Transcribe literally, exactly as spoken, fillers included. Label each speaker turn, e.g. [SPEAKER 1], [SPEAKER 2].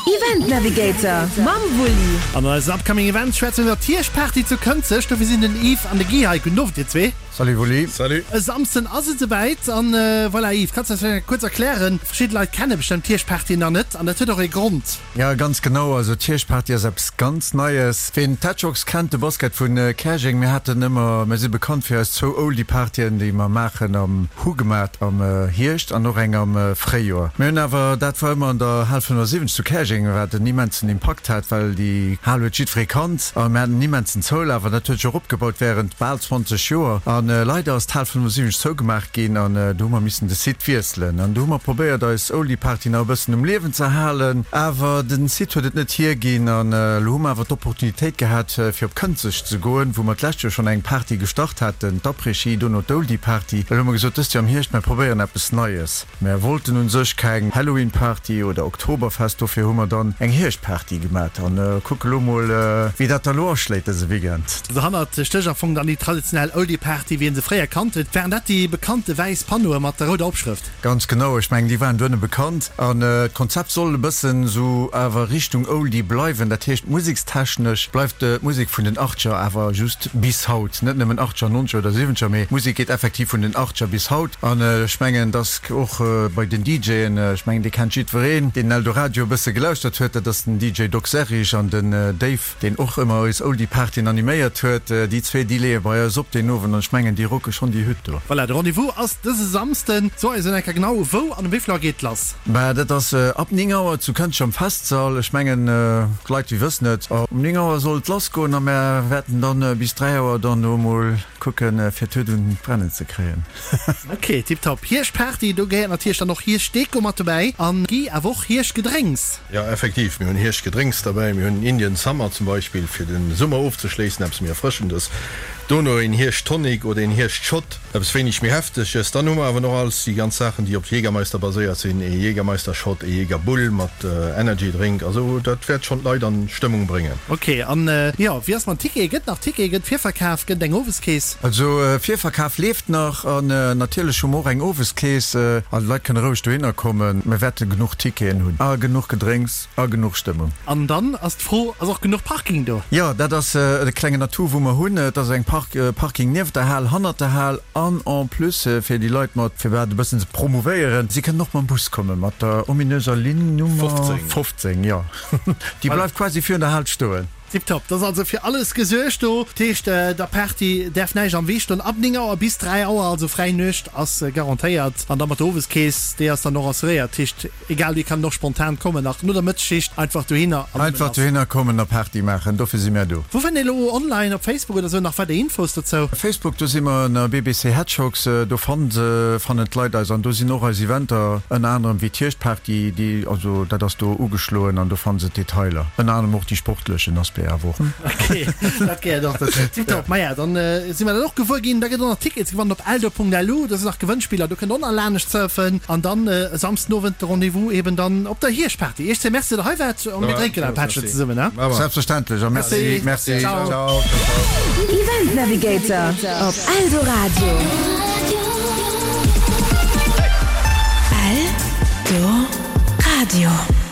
[SPEAKER 1] Event Navigator mam Wulli.
[SPEAKER 2] An an eisen upcoming Events schwätze mir iwwer d'Hierschtparty zu Kënzeg. Dofir sinn den Yves an de Guy hei. Gudden Owend dir zwee.
[SPEAKER 3] Salut Wulli.
[SPEAKER 4] Salut.
[SPEAKER 2] E Samsden ass et esouwäit an voilà Yves, kanns du eis vläicht kuerz erklären, verschidde Leit kenne bestëmmt d'Hierschtparty nach net an dat huet och ee Grond.
[SPEAKER 3] Jo, ganz genau. Also d'Hierschtparty ass eppes ganz Neies. Ween d'Hedgehogs kennt, de Basket vun Käerjeng, mir haten ëmmer, mir si bekannt fir eis zwou Oldie-Partyen, déi mer maachen am, hu gemat am Hierscht an och eng am Fréijoer. Mir hunn awer, dat war ëmmer an der Hal fënnefasiwwenzeg zu Käerjeng, wat en immensen Impakt hat, well déi Hal huet jiddweree kannt a mir haten en immensen Zoulaf an dat huet sech och opgebaut wärend bal zwanzeg Joer. A leider ass d'Hal fënnefasiwwenzeg zougemaach ginn an do hu mer missen de Site wiesselen. An do hu mer probéiert eis Oldie-Party nach e bëssen um Liewen ze halen, awer den Site huet et net hierginn. An elo hu mer awer d'Opportunitéit gehat fir op Kënzeg ze goen, wou mer d'lescht Joer schonn eng Party gestart haten, d'Après-Ski, dono d'Oldie-Party. Elo hu mer gesot, dëst Joer am Hierscht, mer probéieren eppes Neies. Mer wollten un sech keng Halloween-Party oder Oktoberfest, dofir hu mer dann eng Hierscht-Party gemat an kucke lo mol wéi dat da lo aschléit dëse Weekend.
[SPEAKER 2] Dohannert stécht am Fong dann déi traditionell Oldie-Party wéi een se fréier kannt huet. Waren dat déi bekannte wäiss Panneaue mat der rouder Opschrëft?
[SPEAKER 3] Ganz genau, ech mengen déi waren duerno bekannt an d'Konzept soll e bëssen sou awer Richtung Oldie bleiwen. Dat heescht musekstechnesch bleift d'Musek vun den Achtger awer just bis haut, net nëmmen Achtger, Nonzeger oder Siwwenzeger, mee d'Musek geet effektiv vun den Achtger bis haut. An ech mengen, dass och bei den DJen, ech mengen, dee kennt jiddwereen, deen Eldoradio e bësse gelauschtert huet, dat ass den D J Doc Serrig an den Dave, deen och ëmmer eis Oldie-Partyen animéiert huet. Déi zwee, déi leeë bei eis op deen Owend an ech mengen, déi rocke schonn déi Hütt do.
[SPEAKER 2] Voilà, de Rendez-vous ass dëse Samsden. So eis en enker genau, wou an um wéi vill Auer geet et lass?
[SPEAKER 3] Bah, dat ass ab néng Auer zu Kënzeg am Festsall. Ech mengen, d'Leit, déi wëssen et. Um néng Auer soll et lassgoen a mär wäerten dann bis dräi Auer dann do emol kucken, fir d'Hütt un d'Brennen ze kréien.
[SPEAKER 2] Ok, tiptop. Hierschtparty, do gehéiert natierlech dann och Hierschtdeko mat dobäi an Guy, awer och Hierschtgedrénks.
[SPEAKER 4] Jo, effektiv, mir hunn Hierschtgedrénks derbäi. Mir hunn Indian Summer zum Beispill, fir de Summer ofzeschléissen, eppes méi Erfrëschendes. Dono een Hierscht-Tonic oder een Hierscht-Shot, eppes wéineg méi Hefteges. Dann hu mer awer nach alles déi ganz Saachen, déi op Jägermeister baséiert sinn, ee Jägermeister-Shot, ee Jägerbull mat Energy-Drink. Also dat wäert schonn d'Leit an Stëmmung bréngen.
[SPEAKER 2] Ok, an jo, wéi ass mam Ticket? Gëtt nach Tickete? Gëtt Virverkaf? Gëtt et eng Oweskeess?
[SPEAKER 3] Also Virverkaf leeft nach an natierlech hu mer och eng Oweskeess an d'Leit kënne roueg dohinner kommen. Mir wäerte genuch Ticketen hunn a genuch Gedrénks a genuch Stëmmung.
[SPEAKER 2] An dann ass d'Fro, ass och genuch Parking do?
[SPEAKER 3] Jo, dat ass e klengen Atout wou mer hunn. Et ass eng Parking nieft der Hal, hannert der Hal an en plus fir déi Leit mat, fir dat e bëssen ze promouvéieren, si kënnen och mam Bus kommen, mat der ominöser Linn Nummer fofzéng, jo, déi bleift quasi virun der Hal stoen.
[SPEAKER 2] Tiptop, et ass also fir alles gesuergt do. Dat heescht, der Party däerf näischt am Wee stoen. Ab néng Auer bis dräi Auer, also fräi Nuecht ass garantéiert. An da mat der Oweskeess, déi ass dann och assuréiert. Dat heescht, egal, déi kann och spontan kommen, nach no der Mëttesschicht, einfach dohinner
[SPEAKER 3] an nëmmen Einfach lass. dohinner kommen a Party maachen, dofir si mär do.
[SPEAKER 2] Wou fënnt een elo online op Facebook oder sou nach weider Infos dozou?
[SPEAKER 3] Facebook, do si mer ënner B B C Hedgehogs, do fannt fannen d'Leit eis an do sinn och eis Eventer, ënner anerem wéi d'Hierschtparty, déi, also dat ass do ugeschloen an do fanne se d'Detailer, ënner anerem och déi sportlechen Aspect awer och.
[SPEAKER 2] Ok, dat gehéiert och dozou. Tiptop, maja, dann si mer dat och gewuer ginn. Da gëtt och nach Tickets gewannen op eldo Punkt L U, do sinn nach Gewënnspiller, do kënnt der och nach laanescht surfen an dann e Samsdenowend de Rendez-vous eben dann op der Hierschtparty. Iech zwee Merci, datt der hei waart an mir drénken e Pättchen zesummen, he?
[SPEAKER 3] Selbstverständlech a Merci, merci,
[SPEAKER 2] Ciao.
[SPEAKER 3] Ciao, ciao.
[SPEAKER 1] Event Navigator op Eldoradio. Eldoradio.